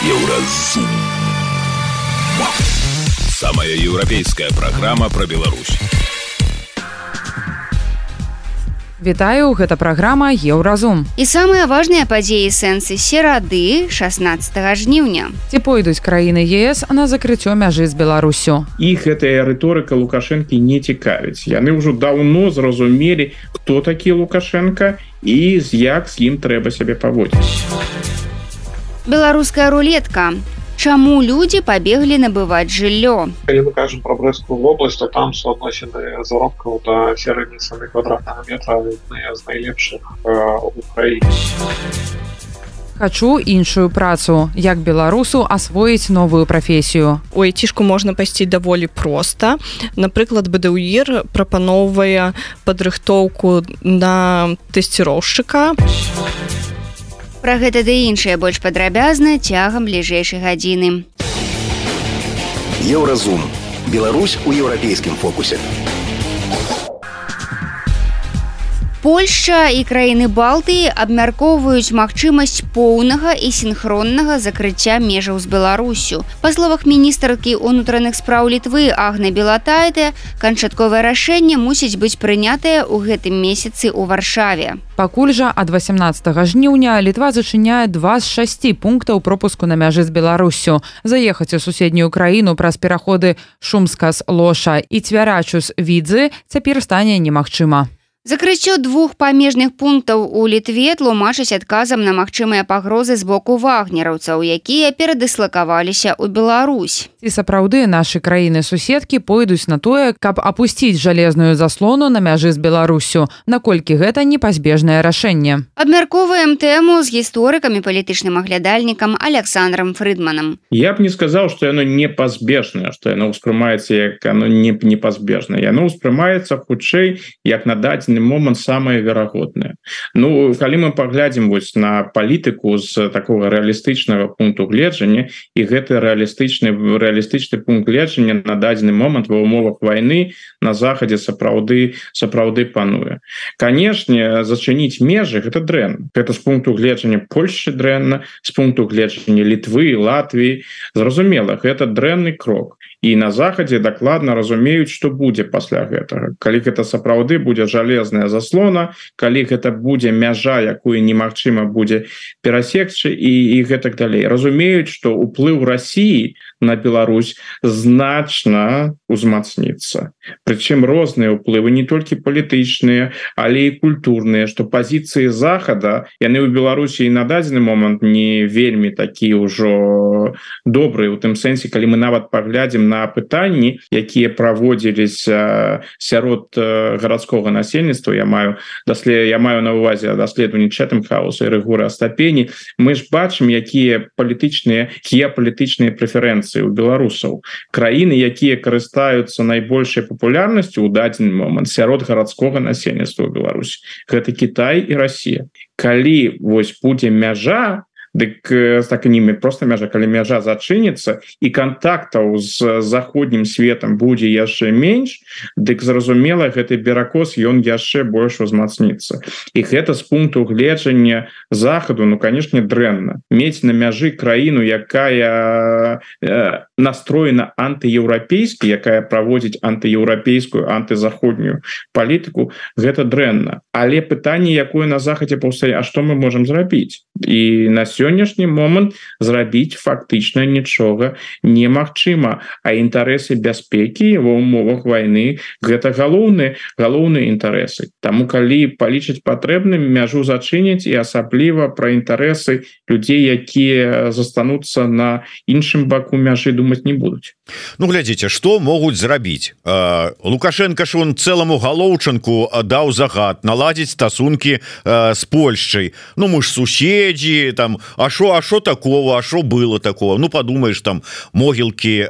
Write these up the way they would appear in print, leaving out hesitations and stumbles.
Еўразум. Самая еўрапейская программа про Беларусь. Вітаю, гэта праграма Еўразум. І самыя важныя падзеі сэнсы серады 16 жніўня. Ці пойдуць краіны ЕС на закрыццё мяжы з Беларусю? Іх гэтая рыторыка Лукашэнкі не цікавіць. Яны ўжо даўно зразумелі, хто такі Лукашенко і як з ім трэба сябе паводзіць. Беларуская рулетка. Чаму людзі пабеглі набываць жыллё? Калі мы кажам пра Брэсцкую вобласць, то там суадносіны заробкаў да сярэдняй цаны квадратнага метра адныя з найлепшых у краіне. Хачу іншую працу. Як беларусу асвоіць новую прафесію? У айцішку можна пайсці даволі проста. Напрыклад, БДУІР прапаноўвае падрыхтоўку на тэсціроўшчыка. Пра гэта ды іншае больш падрабязна цягам бліжэйшай гадзіны. Еўразум. Беларусь у еўрапейскім фокусе. Польшча і краіны Балтыі абмяркоўваюць магчымасць поўнага і сінхроннага закрыцця межаў з Беларусю. Па словах міністркі ўнутраных спраў Літвы Агны Белатайте, канчатковае рашэнне мусіць быць прынятае ў гэтым месяцы ў Варшаве. Пакуль жа ад 18 жніўня Літва зачыняе 2 з 6 пунктаў пропуску на мяжы з Беларусю. Заехаць у суседнюю краіну праз пераходы Шумскас-Лоша і Цвярачус-Відзы цяпер стане немагчыма. Закрыццё 2 памежных пунктаў у Літве тлумачаць адказам на магчымыя пагрозы з боку вагнераўцаў, якія перадыслакаваліся ў Беларусь. Ці сапраўды нашы краіны-суседкі пойдуць на тое, каб апусціць жалезную заслону на мяжы з Беларусю, наколькі гэта непазбежнае рашэнне. Абмяркоўваем тэму з гісторыкам і палітычным аглядальнікам Александром Фрыдманам. Я б не сказаў, што яно непазбежнае, што яно ўспрымаецца як оно непазбежнае. Яно ўспрымаецца хутчэй як на дадзены момант самае верагоднае. Ну, калі мы паглядзім вось на палітыку з такого рэалістычнага пункту гледжання, і гэты рэалістычны пункт гледжання на дадзены момант ва ўмовах вайны на захадзе сапраўды пануе. Канешне, зачыніць межы гэта дрэнна. Гэта з пункту гледжання Польшчы дрэнна, з пункту гледжання Літвы, Латвіі. Зразумела, гэта дрэнны крок. І на захадзе дакладна разумеюць, што будзе пасля гэтага. Калі гэта сапраўды будзе жалезная заслона, калі гэта будзе мяжа, якую немагчыма будзе перасекчы і гэтак далей. Разумеюць, што ўплыў Расіі на Беларусь значна узмацніцца. Прычым розныя ўплывы, не толькі палітычныя, але і культурныя, што пазіцыі захада, яны ў Беларусі і на дадзены момант не вельмі такі ўжо добрыя, у тым сэнсе, калі мы нават паглядзім на пытанні, якія праводзіліся сярод гарадскога насельніцтва, я маю на ўвазе даследаванні Чэтэм-хауса і Рэгора Астапені, мы ж бачым, якія геапалітычныя прэферэнцыі у беларусаў. Краіны, якія карыстаюцца найбольшай папулярнасцю ў дадзены момант сярод гарадскога насельніцтва ў Беларусі, гэта Кітай і Расія. Калі вось будзе мяжа, дык так ними просто мяжа, калі мяжа зачыніцца і контактаў з заходнім светом будзе яшчэ менш, дык зразумела, гэты беракос ён яшчэ больш узмацніцца. І гэта з пункту гледжання захаду, ну, конечно, дрэнна. Мець на мяжы краіну, якая настроена антыеўрапейскі, якая праводзіць антыеўрапейскую, антызаходнюю палітыку, гэта дрэнна. Але пытанне, якое на захадзе паўстае, а што мы можам зрабіць? І на сённяшні момант зрабіць фактычна нічога немагчыма, а інтарэсы бяспекі ва ўмовах вайны гэта галоўныя інтарэсы. Таму калі палічыць патрэбным, мяжу зачыняць, і асабліва пра інтарэсы людзей, якія застануцца на іншым баку мяжы, думаць не будуць. Ну, глядзіце, што могуць зрабіць? Лукашенко ж он цэламу галоўчанку даў загад наладзіць стасункі з Польшчай. Ну, мы ж суседзі, там, а шо такого, а шо было такого? Ну, подумаешь, там, могілкі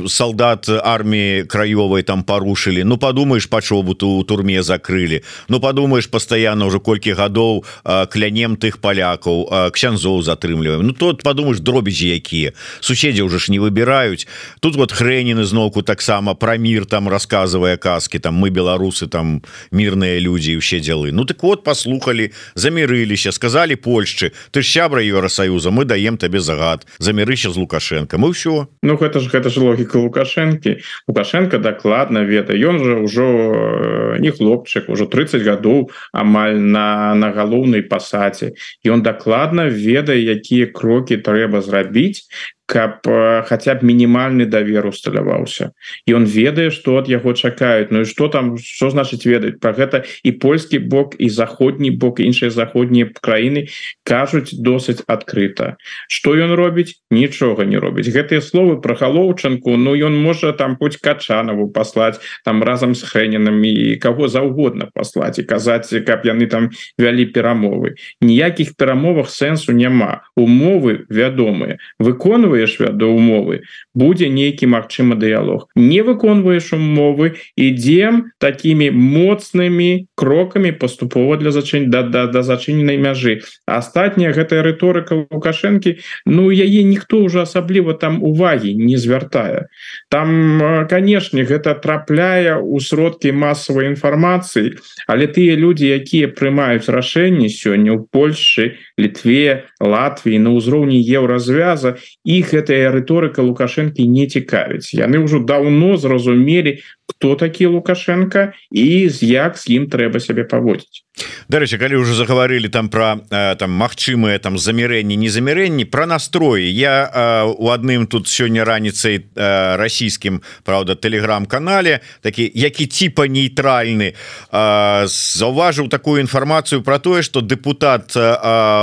солдат армии краёвой там порушили, ну подумаешь, пачобуту у турме закрыли, ну подумаешь, постоянно уже колькі гадоў клянем тых палякаў, ксяндзоў затрымліваем, ну тут подумаешь, дробязі якія, суседзі уже ж не выбіраюць. Тут вот Хрэнін зноўку таксама про мир там рассказывая казки, там мы беларусы, там мирные люди и все дела. Ну так вот, послухали, замирылись, сказали Польшчы, ты ж сябра Евросоюза, мы даем тебе загад, замирыся з Лукашенко, мы все. Ну гэта ж логика Лукашенко. Лукашенко докладно ведае, ён же ўжо не хлопчык, уже 30 гадоў амаль на галоўнай пасадзе, і он докладно ведае, якія крокі трэба зрабіць, каб хотя б мінімальны давер усталяваўся, і он ведае, что от яго чакаюць. Ну і что там, что значыць ведаць про гэта? І польскі бок, і заходні бок, іншыя заходнія краіны кажуць досыць адкрыта. Что ён робіць? Нічога не робіць. Гэтыя словы про Галоўчанку, ну ён можа там хоць Качанову паслаць там разам з Хрэнінам і каго заўгодна паслаць і казаць, каб яны там вялі перамовы. Ніякіх перамовах сэнсу няма. Умовы вядомыя. Выконваюць до умовы, будзе нейкі магчыма дыялог. Не выконваеш умовы, ідзем такімі моцнымі крокамі паступова для да зачыненай мяжы. Астатняя гэтая рыторыка Лукашэнкі, ну яе ніхто ўжо асабліва там увагі не звяртае. Там, канешне, гэта трапляе ў сродкі масавай інфармацыі, але тыя людзі, якія прымаюць рашэнні сёння ў Польшчы, Літве, Латвіі на ўзроўні еўразвяза, іх гэтая рыторыка Лукашэнкі не цікавіць. Яны ўжо даўно зразумелі, хто такі Лукашенко і як з ім трэба сябе паводзіць. Дарэчы, калі ўжо загаварылі там про там магчымыя там замірэнні, незамірэнні, про настроі. Я у адным тут сёння раніцай расійскім, правда, тэлеграм-канале, такі, які типа нейтральны, заўважыў такую інфармацыю про тое, што дэпутат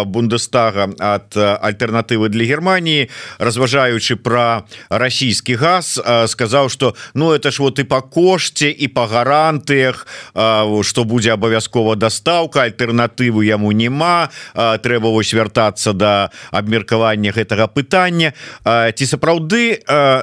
Бундестага ад альтэрнатывы для Германії, разважаючы про расійскі газ, сказаў, што ну это ж вот і па кошце, і па гарантыях, што будзе абавязкова дастаўка, альтэрнатывы яму няма, трэба вось вяртацца да абмеркавання гэтага пытання. Ці сапраўды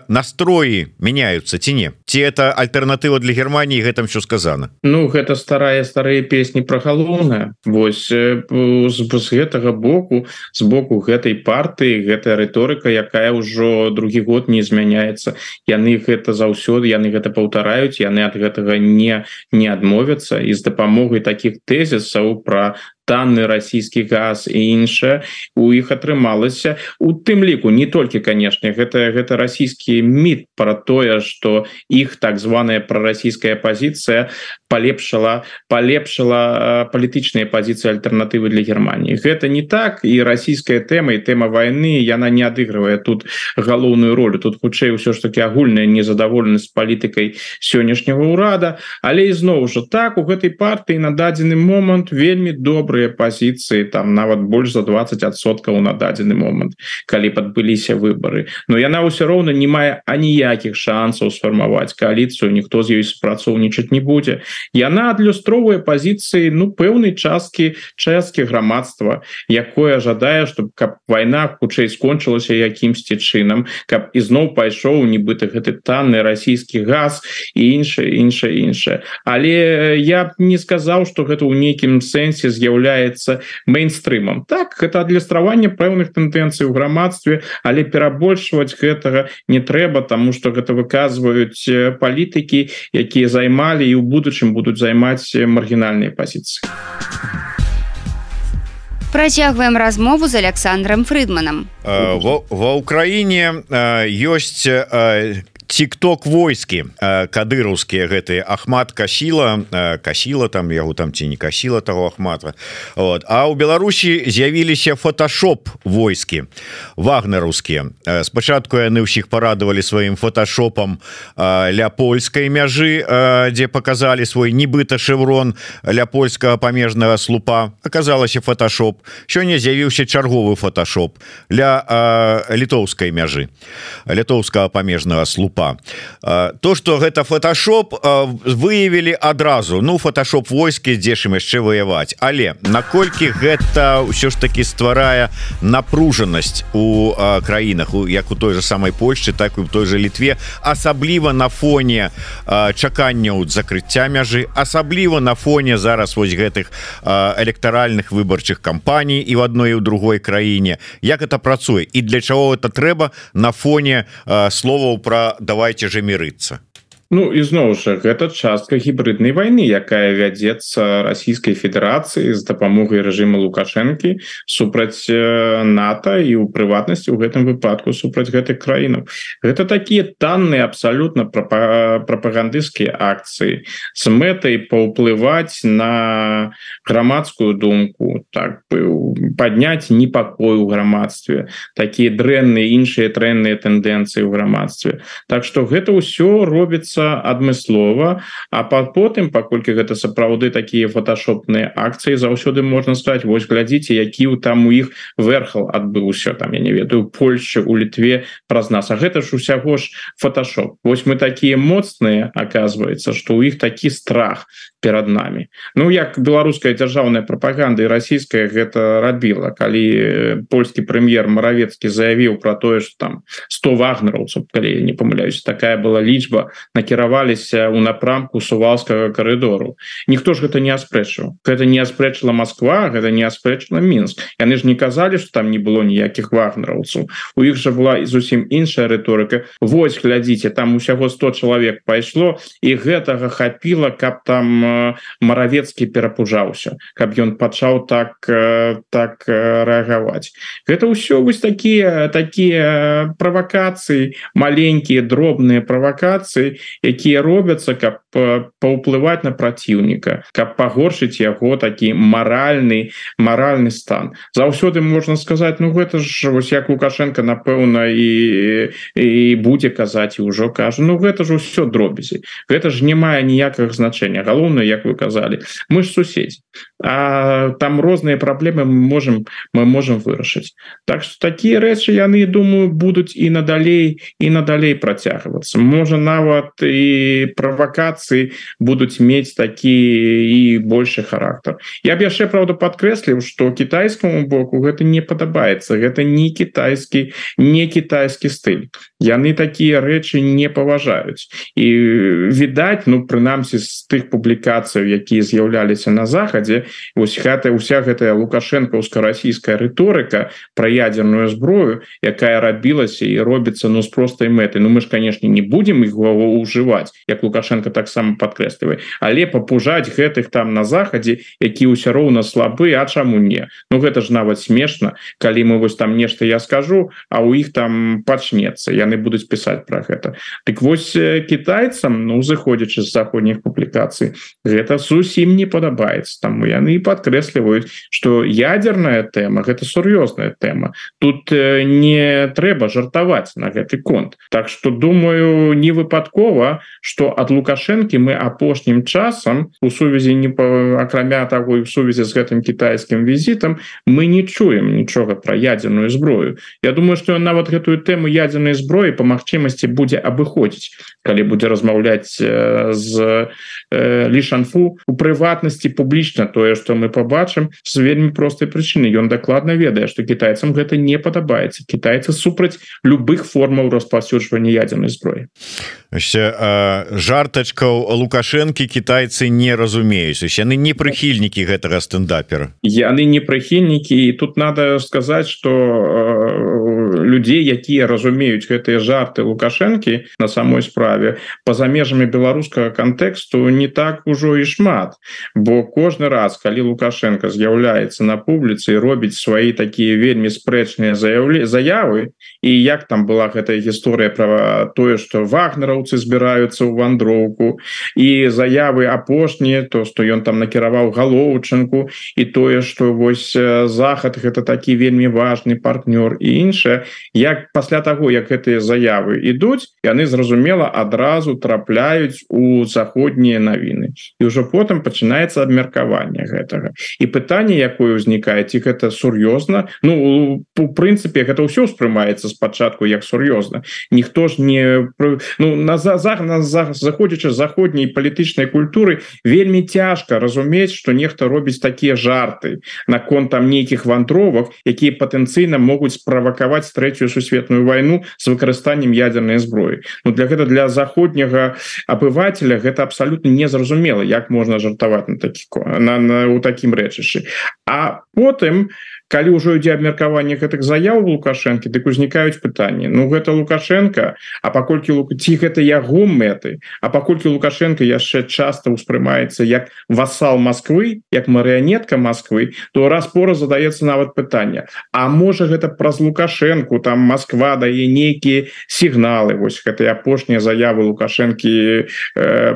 настроі мяняюцца ці не? Ці это альтэрнатыва для Германії, гэтым що сказана? Ну гэта старыя песні пра галоўнае. Вось з гэтага боку, з боку гэтай партыі, гэтая рыторыка, якая ўжо другі год не змяняецца. Яны гэта заўсёды, яны гэта паўтараюць, яны ад гэтага не адмовяцца, і з дапамогай такіх тэзісаў пра танны расійскі газ і іншае у іх атрымалася, у тым ліку не толькі, канешне, гэта расійскі міт пра тое, што іх так званая прарасійская пазіцыя палепшала палітычныя пазіцыі альтэрнатывы для Германії. Гэта не так, і расійская тэма і тэма вайны, яна не адыгрывае тут галоўную ролю. Тут хутчэй усё ж таки агульная незадаволенасць палітыкай сённяшняга ўрада, але ізноў жа так, у гэтай партыі на дадзены момант вельмі добрыя пазіцыі, там нават больш за 20% на дадзены момант, калі падбыліся выбары. Но яна ўсё роўна не мае аніякіх шансаў сфармаваць кааліцыю, ніхто з ёй супрацоўнічаць не будзе. Яна адлюстроўвае пазіцыі пэўнай часткі грамадства, якое жадае, чтобы каб вайна хутчэй скончылася якімсьці чынам, каб ізноў пайшоў нібыта гэты танны расійскі газ і іншае. Але я б не сказаў, што гэта ў нейкім сэнсе з'яўляецца мейнстрымам. Так, гэта адлюстраванне пэўных тэндэнцый у грамадстве, але перабольшваць гэтага не трэба, таму што гэта выказваюць палітыкі, якія займалі і ў будучым будуць займаць маргінальныя пазіцыі. Працягваем размову з Александром Фрыдманам. Ва Ўкраіне ёсць тик-ток войскі кадыраўскія, гэтыя Ахмат Касіла там яго там ці не Касіла таго Ахмата. Вот. А ў Беларусі з'явіліся фотошоп войскі вагнераўскія. Спачатку яны ўсіх парадавалі сваім фотошопам ля польскай мяжы, дзе показалі свой нібыта шэврон ля польскага памежнага слупа. Аказалася фотошоп. Сёння з'явіўся чарговы фотошоп ля літоўскай мяжы, літоўскага памежнага слупа. імпа. То, што гэта фотошоп, выявілі адразу. Ну, фотошоп войскі, дзе ж ім яшчэ ваяваць. Але наколькі гэта ўсё ж таки стварае напружанасць у краінах, як у той же самай Польшчы, так і у той же Літве, асабліва на фоне чаканняў закрыцця мяжы, асабліва на фоне зараз вось гэтых электаральных выбарчых кампаній і в адной і ў другой краіне. Як это працуе і для чаго это трэба на фоне словаў пра давайте же мірыцца? Ну і зноў жа гэта частка гібриднай вайны, якая вядзецца Расійскай Федэрацыі з дапамогай рэжыма Лукашэнкі супраць НАТО і ў прыватнасці ў гэтым выпадку супраць гэтых краінаў. Гэта такія танныя абсалютна прапагандысцкія акцыі з мэтай паўплываць на грамадскую думку, так падняць непакой у грамадстве, такія дрэнныя іншыя дрэнныя тэндэнцыі ў грамадстве. Так што гэта ўсё робіцца адмыслова, а потым, паколькі гэта сапраўды такія фотошопныя акцыі, заўсёды можна сказаць, вось глядзіце, які там у іх верхал адбыўся, там я не ведаю, Польшчы, у Літве праз нас, а гэта ж усяго ж фотошоп. Вось мы такія моцныя, аказваецца, што ў іх такі страх перад намі. Ну як беларуская дзяржаўная прапаганда і расійская гэта рабіла, калі польскі прэм'ер Маравецкі заявіў пра тое, што там 100 вагнераўцаў, калі я не памыляюсь, такая была лічба, накіраваліся ў напрамку Сувалскага карыдору. Ніхто ж гэта не аспрэчыў. Гэта не аспрэчыла Москва, гэта не аспрэчыла Мінск. Яны ж не казалі, што там не было ніякіх вагнераўцаў. У іх жа была зусім іншая рыторыка. Вось, глядзіце, там усяго 100 чалавек пайшло, і гэтага хапіла, каб там Маравецкі перапужаўся, каб ён пачаў так рэагаваць. Гэта ўсё вось такія правакацыі, маленькія, дробныя правакацыі, якія робяцца, каб паўплываць на праціўніка, каб пагоршыць яго такі маральны стан. Заўсёды можна сказаць, ну гэта ж вось як Лукашенко, напэўна, і будзе казаць, і ўжо кажа, ну гэта ж усё дробязі. Гэта ж не мае ніякага значэння. Галоўнае, як вы казалі, мы ж суседзі. А там розныя праблемы мы можам вырашыць. Так што такія рэчы, яны, думаю, будуць і надалей працягвацца. Можа, нават і правакацыі будуць мець такі і большы характар. Я б яшчэ, правда, падкрэсліў, што кітайскаму боку гэта не падабаецца. Гэта не кітайскі стыль. Яны такія рэчы не паважаюць. І відаць, ну, прынамсі, з тых публікацый, якія з'яўляліся на захадзе, вось уся гэтая лукашэнкаўска-расійская рыторыка пра ядерную зброю, якая рабілася і робіцца, ну, з простай мэтай. Ну, мы ж, канешне, не будзем іх ўжываць, як Лукашенко таксама падкрэслівае, але папужаць гэтых там на захадзе, які ўсё роўна слабы, а чаму не? Ну, гэта ж нават смешна, калі мы вось там нешта я скажу, а ў іх там пачнецца, яны будуць пісаць пра гэта. Дык вось кітайцам, ну, зыходзячы з заходніх публікацый, гэта зусім не падабаецца. Таму яны падкрэсліваюць, што ядерная тэма гэта сур'ёзная тэма. Тут не трэба жартаваць на гэты конт. Так што, думаю, не выпадкова, што ад Лукашэнкі мы апошнім часам у сувязі акрамя таго і ў сувязі з гэтым кітайскім візітам мы не чуем нічога пра ядерную зброю. Я думаю, што ён нават гэтую тэму ядернай зброі па магчымасці будзе абыходзіць, калі будзе размаўляць з Лі Шанфу у прыватнасці публічна. Тое, што мы пабачым, з вельмі простай прычыны. Ён дакладна ведае, што кітайцам гэта не падабаецца. Кітайцы супраць любых формаў распаўсюджвання ядернай зброі. Жартачкаў Лукашэнкі кітайцы не разумеюць. Яны не прыхільнікі гэтага стендапера. Яны не прыхільнікі, і тут надо сказаць, што людзей, якія разумеюць гэтыя жарты Лукашэнкі на самой справе, па-за межамі беларускага кантэксту не так ужо і шмат. Бо кожны раз, калі Лукашенко з'яўляецца на публіцы і робіць свае такія вельмі спрэчныя заявы, і як там была гэтая гісторыя пра тое, што вагнераўцы збіраюцца ў вандроўку, і заявы апошнія, то, што ён там накіраваў Галоўчынку, і тое, што вось Захад гэта такі вельмі важны партнёр і іншае, як пасля таго як гэтыя заявы ідуць, яны зразумела адразу трапляюць у заходнія навіны і ўжо потым пачынаецца абмеркаванне гэтага і пытанне якое ўзнікае, ці гэта сур'ёзна. Ну у прынцыпе гэта ўсё ўспрымаецца спачатку як сур'ёзна, ніхто ж не заходзячы заходняй палітычнай культуры вельмі цяжка разумець, што нехта робіць такія жарты наконт там нейкіх вандровак, якія патэнцыйна могуць справакаваць трэцюю сусветную вайну з выкарыстаннем ядернай зброі. Ну для гэта для заходняга абывателя гэта абсалютна незразумела, як можна жартаваць у такім рэчышчы. А потым калі ўжо ідзе абмеркаванне гэтых заяў Лукашэнкі, дык узнікаюць пытанні. Ну гэта Лукашенко, а паколькі ці гэта яго мэты, а паколькі Лукашенко яшчэ часта ўспрымаецца як васал Москвы, як марыянетка Москвы, то раз-пораз задаецца нават пытанне: а можа гэта праз Лукашенку там Москва дае нейкія сігналы? Вось гэтыя апошнія заявы Лукашэнкі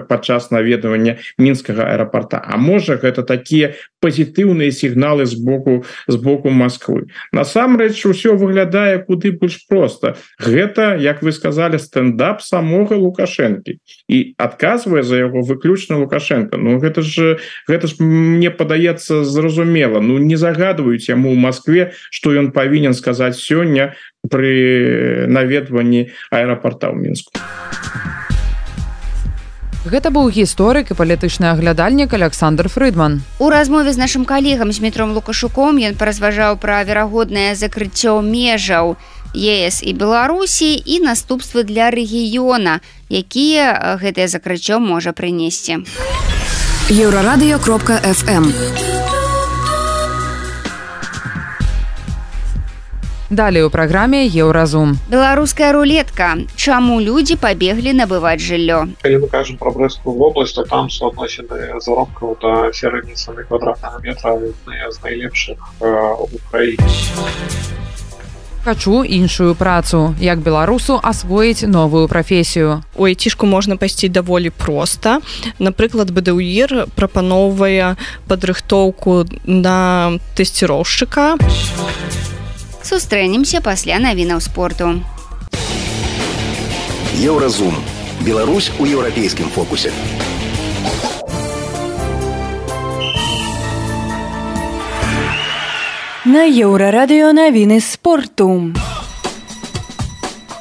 падчас наведвання мінскага аэрапорта. А можа гэта такія пазітыўныя сігналы з боку Москвы? Насамрэч усё выглядае куды больш проста. Гэта, як вы сказали, стендап самога Лукашэнкі, і адказвае за яго выключна Лукашенко. Ну гэта ж мне падаецца зразумела. Ну не загадваюць яму ў Москве, што ён павінен сказаць сёння пры наведванні аэрапорта ў Мінску. Гэта быў гісторык і палітычны аглядальнік Александр Фрыдман. У размове з нашым калегам Змітром Лукашуком ён паразважаў пра верагоднае закрыццё межаў ЕС і Беларусі і наступствы для рэгіёна, якія гэтае закрыццё можа прынесці. Еўрарадыё.фм. Далей у праграме Еўразум. Беларуская рулетка. Чаму людзі пабеглі набываць жыллё? Калі мы кажам пра Брэсцкую вобласць, то там суадносіны заробкаў да сярэдняй цаны квадратнага метра адныя з найлепшых у краіне. Хачу іншую працу. Як беларусу асвоіць новую прафесію? У айцішку можна пайсці даволі проста. Напрыклад, БДУІР прапаноўвае падрыхтоўку на тэсціроўшчыка. Сустрэнемся пасля навінаў спорту. Еўразум. Беларусь у еўрапейскім фокусе. На Еўрарадыё навіны спорту.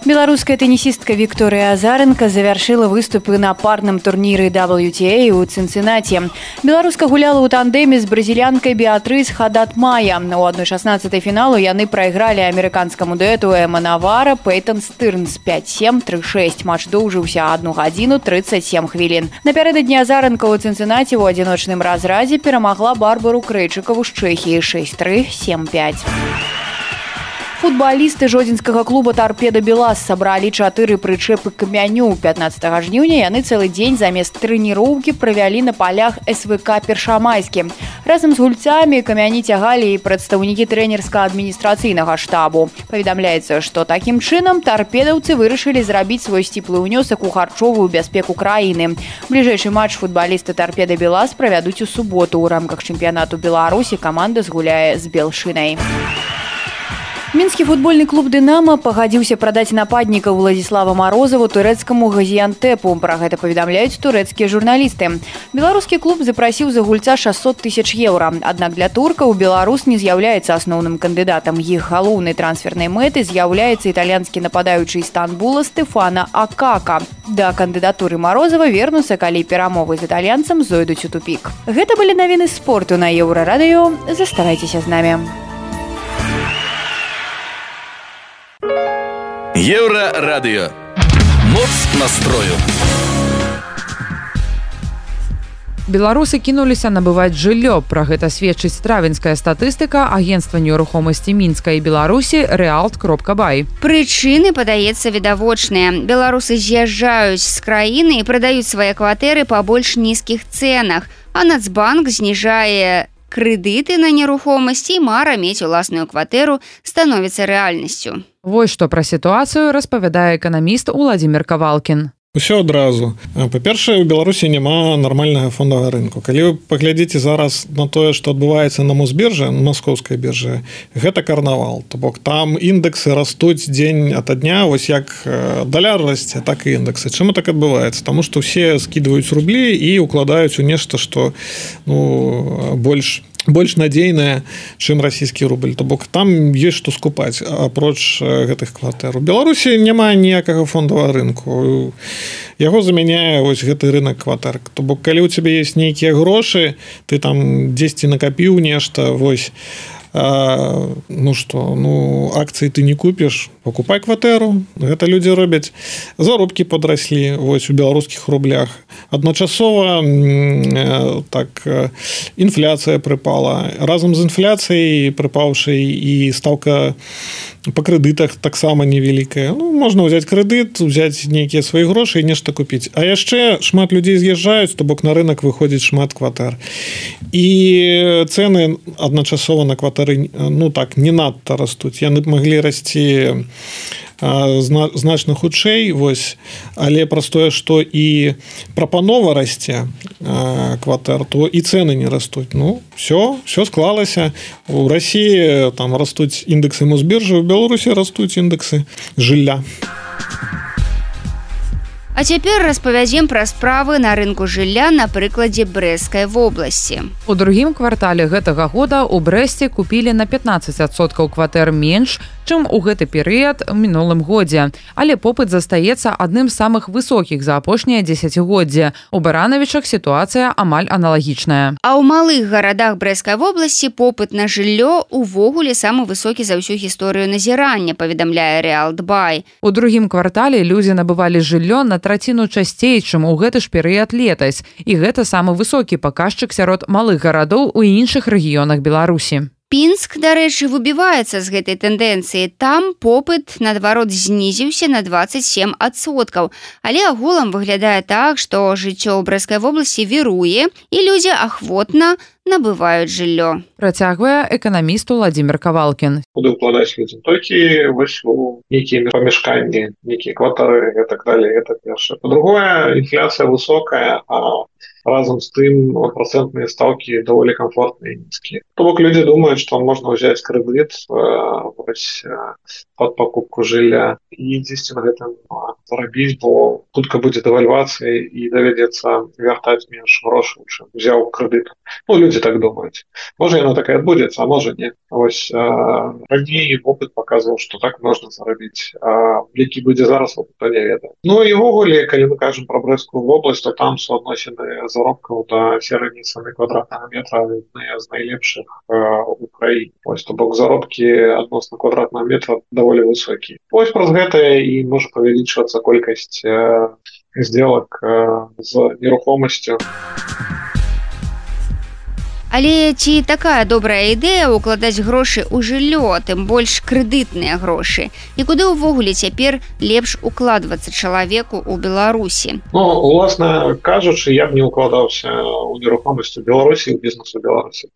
Беларуская тэнісістка Вікторыя Азаренка завяршыла выступы на парным турніры WTA ў Цінцынаці. Беларуска гуляла ў тандэме з бразілянкай Беатрыс Хадат-Мая. У 1/16 фіналу яны прайгралі амерыканскаму дуэту Эма Навара Пейтон Стырнс 5-7, 3-6. Матч доўжыўся 1 гадзіну 37 хвілін. Напярэдадні Азаренка ў Цінцынаці ў адзіночным разрадзе перамагла Барбару Крэйчыкаву з Чэхіі 6-3, 7-5. Футбалісты жодзінскага клуба «Торпеда Белас» сабралі 4 прычэпы камяню. 15 жніўня яны цэлы дзень замест трэніроўкі правялі на палях СВК Першамайскі. Разам з гульцамі камяні цягалі і прадстаўнікі трэнерска-адміністрацыйнага штабу. Паведамляецца, што такім чынам тарпедаўцы вырашылі зрабіць свой сціплы ўнёсак у харчовую бяспеку краіны. Бліжэйшы матч футбалісты «Торпеда Белас» правядуць у суботу. У рамках чэмпіянату Беларусі каманда згуляе з Белшынай. Мінскі футбольны клуб «Дынамо» пагадзіўся прадаць нападніка Владзіслава Марозаву турэцкаму «Газіянтэпу». Пра гэта паведамляюць турэцкія журналісты. Беларускі клуб запрасіў за гульца 600 000 еўра. Аднак для туркаў беларус не з'яўляецца асноўным кандыдатам. Іх галоўнай трансфернай мэтай з'яўляецца італьянскі нападаючы Істанбула Стефана Акака. Да кандыдатуры Марозава вернуцца, калі перамовы з італьянцам зойдуць у тупік. Гэта былі навіны спорту на Еўрарадыё. Заставайцеся з намі. Еўрарадыё. Моц настрою. Беларусы кінуліся набываць жыллё. Пра гэта сведчыць травеньская статыстыка агенцтва нерухомасці Мінска і Беларусі Realt.by. Прычыны, падаецца, відавочныя. Беларусы з'язджаюць з краіны і прадаюць свае кватэры па больш нізкіх цэнах, а Нацбанк зніжае крэдыты на нерухомасць, і мара мець уласную кватэру становіцца рэальнасцю. Вось што пра сітуацыю распавядае эканаміст Уладзімір Кавалкін. Усё адразу. Па-першае, у Беларусі няма нармальнага фондавага рынку. Калі вы паглядзіце зараз на тое, што адбываецца на Мосбіржы, на маскоўскай біржы, гэта карнавал. То бок там індэксы растуць дзень ад дня, вось як даляр расце, так і індэксы. Чаму так адбываецца? Таму што ўсе скідваюць рублі і укладаюць у нешта, што больш надзейная, чым расійскі рубль. То бок там ёсць што скупаць апроч гэтых кватэр. У Беларусі няма ніякага фондавага рынку. Яго замяняе вось гэты рынок кватэр. То бок калі ў цябе ёсць нейкія грошы, ты там дзесьці накапіў нешта, вось акцыі ты не купіш, покупай кватэру. Гэта людзі робяць. Заробкі падраслі вось у беларускіх рублях. Адначасова інфляцыя прыпала. Разам з інфляцыяй прыпаўшай і стаўка па крэдытах таксама невялікая. Можна ўзяць крэдыт, узяць нейкія свае грошы і нешта купіць. А яшчэ шмат людзей з'язджаюць, то бок на рынок выходзіць шмат кватэр. І цэны адначасова на кватэры не надта растуць. Яны маглі расці значна хутчэй, вось, але праз тое, што і прапанова расце кватэр, то і цэны не растуць. Все склалася. У Расіі там растуць індэксы Мосбіржы, у Беларусі растуць індэксы жылля. А цяпер распавядзем пра справы на рынку жылля на прыкладзе Брэсцкай вобласці. У другім квартале гэтага года ў Брэсце купілі на 15% кватэр менш, чым у гэты перыяд у мінулым годзе. Але попыт застаецца адным з самых высокіх за апошнія дзесяцігоддзя. У Баранавічах сітуацыя амаль аналагічная. А ў малых гарадах Брэсцкай вобласці попыт на жыллё увогуле самы высокі за ўсю гісторыю назірання, паведамляе Реалдбай. У другім квартале людзі набывалі жыллё на траціну часцей, чым у гэты ж перыяд летась. І гэта самы высокі паказчык сярод малых гарадоў у іншых рэгіёнах Беларусі. Пінск, дарэчы, выбіваецца з гэтай тэндэнцыі. Там попыт, наадварот, знізіўся на 27%. Але агулам выглядае так, што жыццё ў Брэсцкай вобласці віруе, і людзі ахвотна набываюць жыллё. Працягвае эканаміст Владзімир Кавалкін. Куды ўкладаць людзям? Толькі вось у нейкія памяшканні, нейкія кватары і так далее. Гэта першае. Па-другое, інфляцыя высокая, а разам з тым працэнтныя стаўкі даволі камфортныя і нізкія. То бок людзі думаюць, што можна ўзяць крэдыт пад пакупку жылля і дзесьці на гэтым зарабіць, бо хутка будзе дэвальвацыя і давядзецца вяртаць менш грошаў, чым узяў крэдыт. Людзі так думаюць. Можа, яна такая адбудзецца, а можа не. Вось раней опыт паказваў, што так можна зарабіць. А які будзе зараз, опыт не ведае. І ўвогуле, калі мы кажам пра Брэсцкую вобласць, то там суадносіны заробкаў да сярэдняй цаны квадратнага метра адныя з найлепшых у краіне. Вось, то бок заробкі адносна квадратнага метра даволі высокія. Вось праз гэта і можа павялічвацца колькасць сделак з нерухомасцю. Але ці такая добрая ідэя укладаць грошы ў жыллё, тым больш крэдытныя грошы? І куды ўвогуле цяпер лепш укладвацца чалавеку ў Беларусі? Уласна кажучы, я б не укладаўся ў нерухомасць у Беларусі і ў бізнес у Беларусі.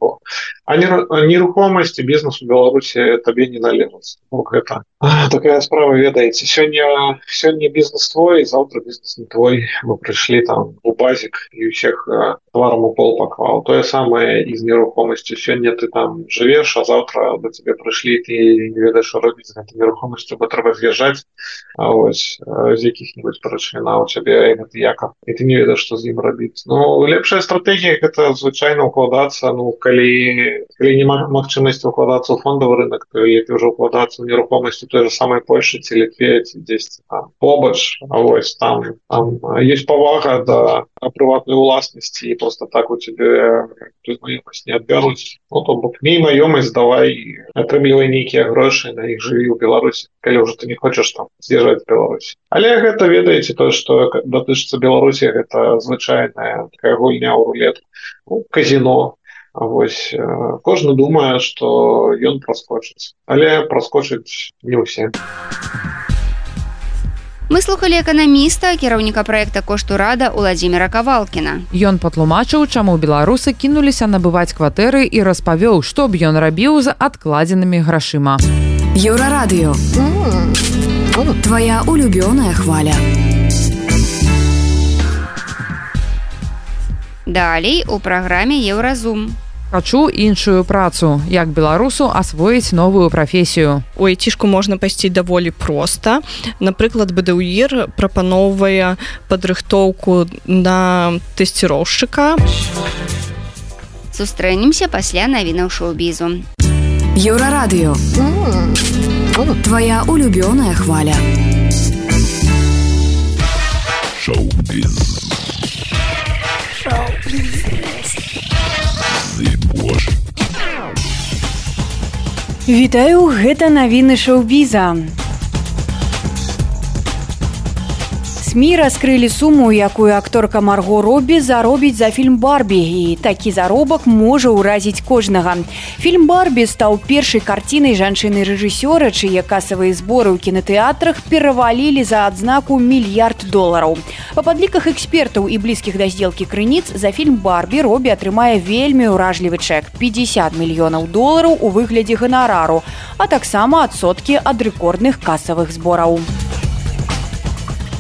А нерухомасць і бізнес у Беларусі табе не належаць. Гэта такая справа, ведаеце. Сёння бізнес твой, заўтра бізнес не твой. Мы прыйшлі там у базік і ўсіх тварам у пол паклаў. Тое самае і з нерухомасцю. Сёння ты там жывеш, а заўтра да цябе прыйшлі, ты не ведаеш, што робіць з гэтай нерухомасцю, бо трэба з'язджаць, а вось з якіх-небудзь прычын у цябе гэты якав, і ты не ведаеш, што з ім рабіць. Лепшая стратэгія гэта звычайна укладацца, калі няма магчымасці укладацца ў фондавы рынок, то лепей ўжо укладацца ў нерухомасць у той же самай Польшы ці Літве, ці дзесьці там побач, а вось там ёсць павага да прыватнай уласнасці, і проста так у цябе не адбяруць. То бок мей маёмасць, давай атрымлівай нейкія грошы, на іх жыві ў Беларусі, калі ўжо ты не хочаш там з'язджаць з Беларусі. Але гэта, ведаеце, тое, што датычыцца Беларусі, гэта звычайная такая гульня ў рулетку, казіно. Вось кожны думае, што ён праскочыць, але праскочыць не ўсе. Мы слухалі эканаміста, кіраўніка праекта «Кошту рада» Владзіміра Кавалкіна. Ён патлумачыў, чаму беларусы кінуліся набываць кватэры і распавёў, што б ён рабіў з адкладзенымі грашыма. Еўрарадыё. Твоя улюбёная хваля. Далей у праграме Еўразум. Хачу іншую працу, як беларусу асвоіць новую прафесію. У айцішку можна пайсці даволі проста. Напрыклад, БДУІР прапаноўвае падрыхтоўку на тэсціроўшчыка. Сустрэнемся пасля навінаў шоу-бізу. Еўрарадыё. Твоя улюбёная хваля. Шоу-біз. Вітаю, гэта навіны шоу-біза. СМІ раскрылі суму, якую акторка Марго Робі заробіць за фільм «Барбі», і такі заробак можа ўразіць кожнага. Фільм «Барбі» стаў першай карцінай жанчыны-рэжысёра, чые касавыя зборы ў кінатэатрах перавалілі за адзнаку $1 мільярд. Па падліках экспертаў і блізкіх да здзелкі крыніц, за фільм «Барбі» Робі атрымае вельмі ўражлівы чэк – $50 мільёнаў у выглядзе ганарару, а таксама адсоткі ад рэкордных касавых збораў.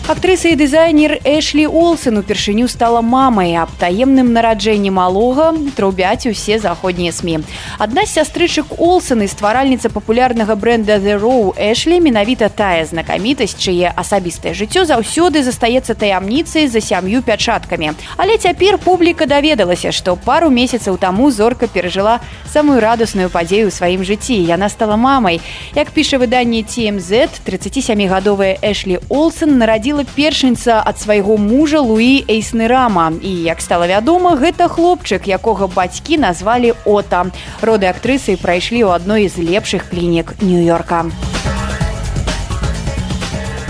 Актрыса і дызайнер Эшлі Олсен упершыню стала мамай. Аб таемным нараджэнні малога трубяць усе заходнія СМІ. Адна з сястрычак Олсен і стваральніца папулярнага брэнда The Row Эшлі менавіта тая знакамітасць, чые асабістае жыццё заўсёды застаецца таямніцай за 7 пячаткамі. Але цяпер публіка даведалася, што пару месяцаў таму зорка перажыла самую радасную падзею ў сваім жыцці. Яна стала мамай. Як піша выданне TMZ, 37-гадовая Эшлі Олсен нарадзіла першынца ад свайго мужа Луі Эйснерама. І, як стала вядома, гэта хлопчык, якога бацькі назвалі Ота. Роды актрысы прайшлі ў адной з лепшых клінік Нью-Йорка.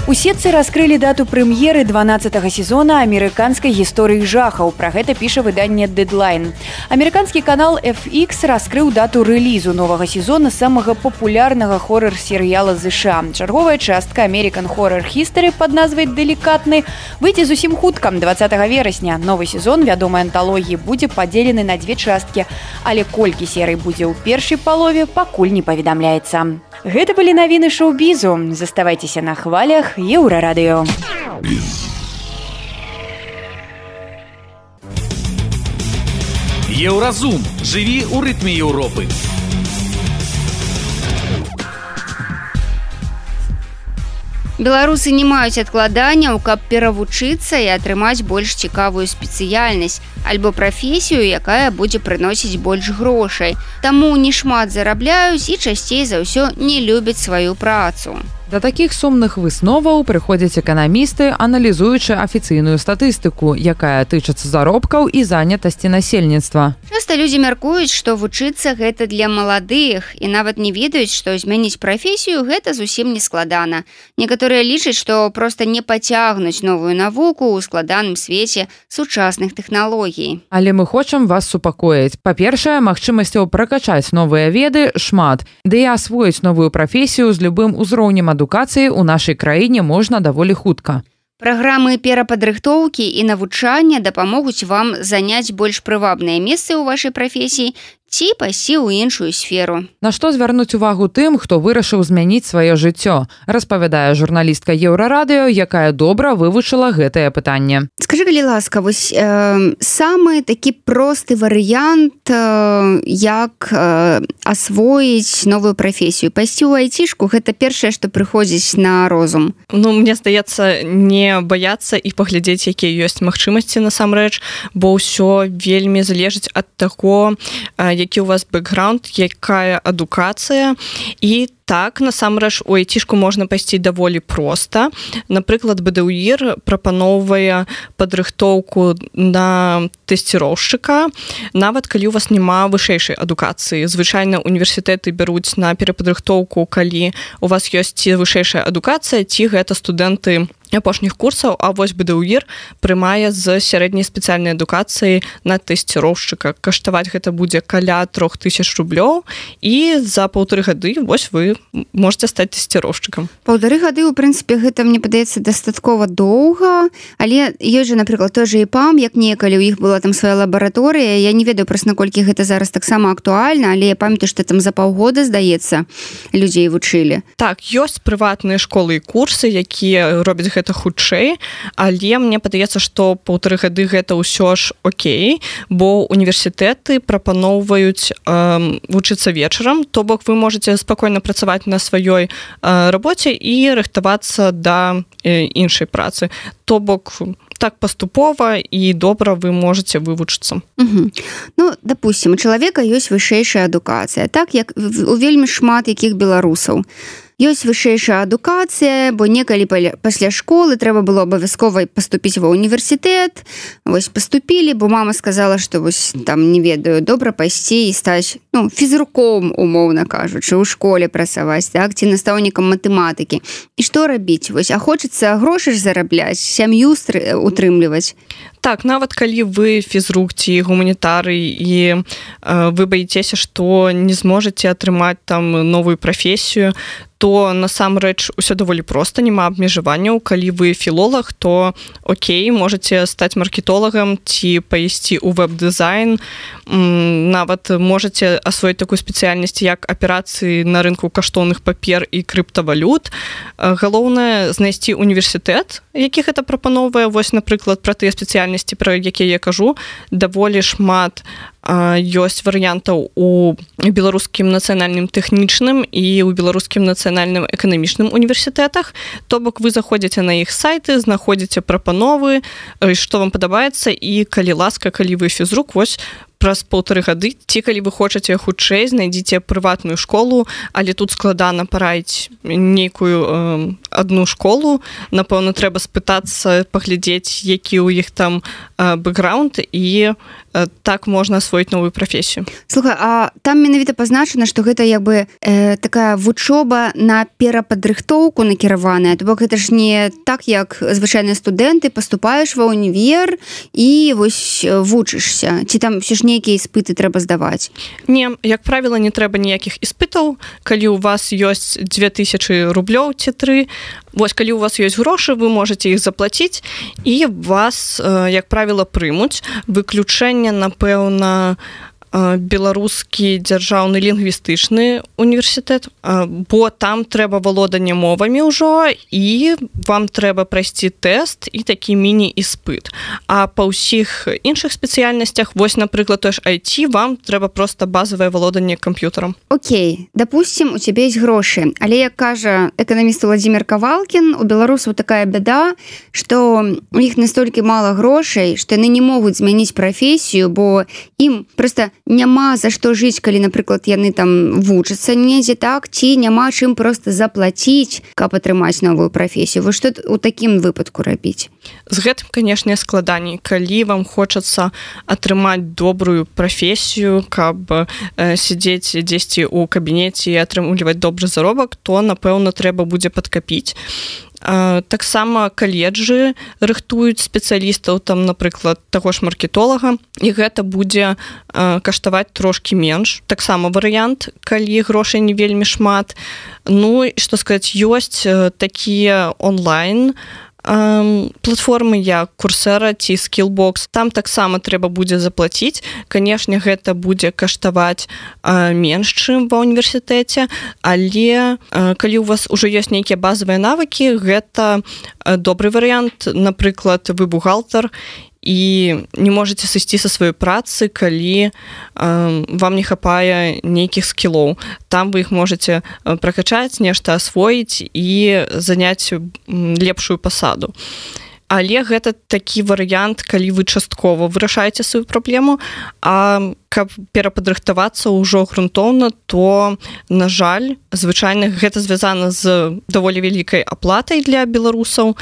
У сетцы раскрылі дату прэм'еры 12-го сезона амерыканскай гісторыі жахаў. Пра гэта піша выданне Deadline. Амерыканскі канал FX раскрыў дату рэлізу новага сезона самага папулярнага хоррор-серыяла США. Чарговая частка American Horror History пад назвай «Делікатны» выйдзе зусім хутка, 20 верасня. Новы сезон вядомай анталогіі будзе падзелены на 2 часткі, але колькі серый будзе ў першай палове, пакуль не паведамляецца. Гэта былі навіны шоу-бізу. Заставайцеся на хвалях Еўрарадыё. Еўразум. Жыві ў рытме Еўропы. Беларусы не маюць адкладанняў, каб перавучыцца і атрымаць больш цікавую спецыяльнасць альбо прафесію, якая будзе прыносіць больш грошай. Таму не шмат зарабляюць і часцей за ўсё не любяць сваю працу. Да такіх сумных высноваў прыходзяць эканамісты, аналізуючы афіцыйную статыстыку, якая тычыцца заробкаў і занятасці насельніцтва. Часта людзі мяркуюць, што вучыцца гэта для маладых і нават не ведаюць, што змяніць прафесію гэта зусім не складана. Некаторыя лічаць, што проста не пацягнуць новую навуку ў складаным свеце сучасных тэхналогій. Але мы хочам вас супакоіць. Па-першае, магчымасцяў пракачаць новыя веды шмат, ды і асвоіць новую прафесію з любым узроўнем адукацыі ў нашай краіне можна даволі хутка. Праграмы перападрыхтоўкі і навучання дапамогуць вам заняць больш прывабныя месцы ў вашай прафесіі ці пайсці ў іншую сферу. На што звярнуць увагу тым, хто вырашыў змяніць сваё жыццё, распавядае журналістка Еўрарадыё, якая добра вывучыла гэтае пытанне. Скажы, калі ласка, вось самы такі просты варыянт, як асвоіць новую прафесію. Пайсці ў айцішку гэта першае, што прыходзіць на розум. Ну, мне здаецца, не баяцца і паглядзець, якія ёсць магчымасці насамрэч, бо ўсё вельмі залежыць ад таго, які у вас бэкграунд, якая адукацыя. І так, насамрэч, у айцішку можна пайсці даволі проста. Напрыклад, БДУІР прапаноўвае падрыхтоўку на тэсціроўшчыка, нават калі у вас няма вышэйшай адукацыі. Звычайна універсітэты бяруць на перападрыхтоўку, калі у вас ёсць ці вышэйшая адукацыя, ці гэта студэнты апошніх курсаў, а вось БДУІР прымае з сярэдняй спецыяльнай адукацыі на тэсціроўшчыка. Каштаваць гэта будзе каля 3000 рублёў, і за 1,5 гады вось вы можете стаць тэсціроўшчыкам. 1,5 гады, у прынцыпе, гэта, мне падаецца, дастаткова доўга, але ёсць жа, напрыклад, той жа ІПАМ, як некалі ў іх была там свая лабараторыя. Я не ведаю проста, наколькі гэта зараз таксама актуальна, але я памятаю, што там за паўгода, здаецца, людзей вучылі. Так, ёсць прыватныя школы і курсы, якія робяць гэта хутчэй, але мне падаецца, што 1,5 гады гэта ўсё ж окей, бо універсітэты прапаноўваюць вучыцца вечарам, то бок вы можете спакойна працаваць на сваёй рабоце і рыхтавацца да іншай працы. То бок так паступова і добра вы можете вывучыцца. Ну, допустим, у чалавека ёсць вышэйшая адукацыя, так як у вельмі шмат якіх беларусаў. Ёсць вышэйшая адукацыя, бо некалі пасля школы трэба было абавязкова паступіць ва універсітэт. Вось паступілі, бо мама сказала, што вось там, не ведаю, добра пайсці і стаць, ну, фізруком, умоўна кажучы, у школе працаваць, так, ці настаўнікам матэматыкі. І што рабіць? Вось, а хочацца грошы ж зарабляць, сям'ю утрымліваць. Так, нават калі вы фізрук ці гуманітары і вы баіцеся, што не зможаце атрымаць там новую прафесію, то насамрэч усё даволі проста, няма абмежаванняў. Калі вы філолог, то окей, можете стаць маркетолагам ці пайсці ў веб-дызайн, нават можете асвоіць такую спецыяльнасць, як аперацыі на рынку каштоўных папер і крыптавалют. Галоўнае знайсці універсітэт, які гэта прапаноўвае. Вось, напрыклад, пра тыя спецыяльнасці, пра якія я кажу, даволі шмат ёсць варыянтаў у беларускім нацыянальным тэхнічным і ў беларускім нацыянальным эканамічным універсітэтах. То бок вы заходзіце на іх сайты, знаходзіце прапановы, што вам падабаецца, і калі ласка, калі вы фізрук, вось праз 1,5 гады, ці калі вы хочаце хутчэй, знайдзіце прыватную школу, але тут складана параіць нейкую адну школу. Напэўна, трэба спытацца, паглядзець, які ў іх там бэкграунд, і так можна асвоіць новую прафесію. Слухай, а там менавіта пазначана, што гэта як бы такая вучоба на перападрыхтоўку накіраваная. То бок гэта ж не так, як звычайныя студэнты, паступаеш ва ўнівер і вось вучышся. Ці там ўсё ж нейкія іспыты трэба здаваць? Не, як правіла, не трэба ніякіх іспытаў. Калі у вас ёсць 2000 рублёў ці 3, вось калі у вас ёсць грошы, вы можете іх заплаціць, і вас, як правіла, прымуць. Выключэнне, напэўна, беларускі дзяржаўны лінгвістычны універсітэт, бо там трэба валоданне мовамі ўжо, і вам трэба прайсці тэст і такі міні-іспыт. А па ўсіх іншых спецыяльнасцях, вось, напрыклад, той ж IT, вам трэба проста базавае валоданне камп'ютарам. Окей, допустим, у цябе ёсць грошы, але, як кажа эканаміст Владзімир Кавалкін, у беларусаў такая бяда, што у іх настолькі мала грошай, што яны не могуць змяніць прафесію, бо ім проста няма за што жыць, калі, напрыклад, яны там вучацца недзе, так, ці няма чым проста заплаціць, каб атрымаць новую прафесію. Вы што ў такім выпадку рабіць? З гэтым, канешне, складаней. Калі вам хочацца атрымаць добрую прафесію, каб сядзець дзесьці ў кабінеце і атрымліваць добры заробак, то, напэўна, трэба будзе падкапіць. Таксама каледжы рыхтуюць спецыялістаў, там, напрыклад, таго ж маркетолага, і гэта будзе каштаваць трошкі менш. Таксама варыянт, калі грошай не вельмі шмат. Ну, і што сказаць, ёсць такія онлайн платформы, як Курсера ці Skillbox. Там таксама трэба будзе заплаціць. Канешне, гэта будзе каштаваць менш, чым ва універсітэце, але калі у вас ужо ёсць нейкія базавыя навыкі, гэта добры варыянт. Напрыклад, вы бухгалтар, і не можете сысці са сваёй працы, калі вам не хапае нейкіх скілоў. Там вы іх можете пракачаць, нешта асвоіць і заняць лепшую пасаду. Але гэта такі варыянт, калі вы часткова вырашаеце сваю праблему, а каб перападрыхтавацца ўжо грунтоўна, то, на жаль, звычайна гэта звязана з даволі вялікай аплатай для беларусаў.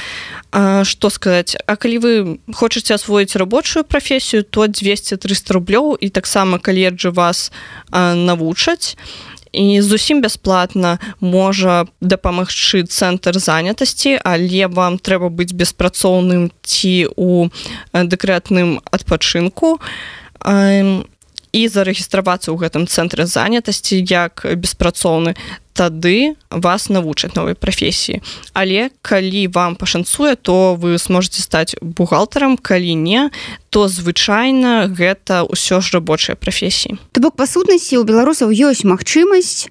Што сказаць, а калі вы хочаце асвоіць рабочую прафесію, то 200-300 рублёў, і таксама каледжы вас навучаць. І зусім бясплатна можа дапамагчы цэнтр занятасці, але вам трэба быць беспрацоўным ці ў дэкрэтным адпачынку і зарэгістравацца ў гэтым цэнтры занятасці як беспрацоўны. Тады вас навучаць новай прафесіі. Але калі вам пашанцуе, то вы зможаце стаць бухгалтарам, калі не, то звычайна гэта ўсё ж рабочыя прафесіі. То бок, па сутнасці, у беларусаў ёсць магчымасць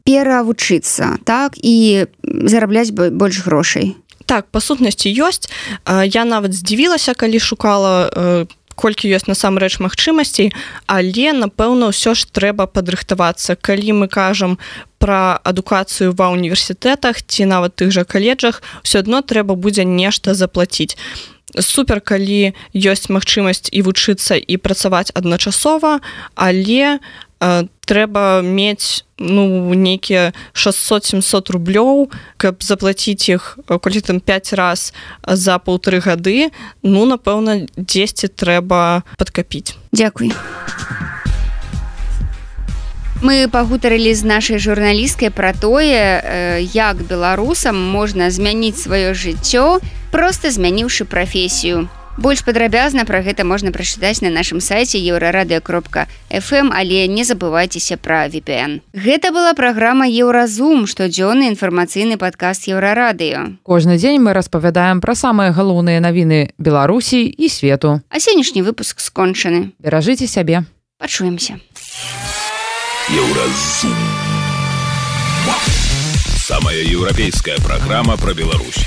перавучыцца, так, і зарабляць больш грошай. Так, па сутнасці ёсць. Я нават здзівілася, калі шукала колькі ёсць насамрэч магчымасцей, але, напэўна, ўсё ж трэба падрыхтавацца. Калі мы кажам пра адукацыю ва універсітэтах ці нават тых жа каледжах, ўсё адно трэба будзе нешта заплаціць. Супер, калі ёсць магчымасць і вучыцца, і працаваць адначасова, але трэба мець нейкія 600-700 рублёў, каб заплаціць іх колькі там 5 раз за 1,5 гады, напэўна, дзесьці трэба падкапіць. Дзякуй. Мы пагутарылі з нашай журналісткай пра тое, як беларусам можна змяніць сваё жыццё, проста змяніўшы прафесію. Больш падрабязна пра гэта можна прачытаць на нашым сайце euraradio.fm, але не забывайцеся пра VPN. Гэта была праграма Еўразум, штодзённы інфармацыйны падкаст Еўрарадыё. Кожны дзень мы распавядаем пра самыя галоўныя навіны Беларусі і свету. А сённяшні выпуск скончаны. Беражыце сябе. Пачуемся. Еўразум. Самая еўрапейская праграма пра Беларусь.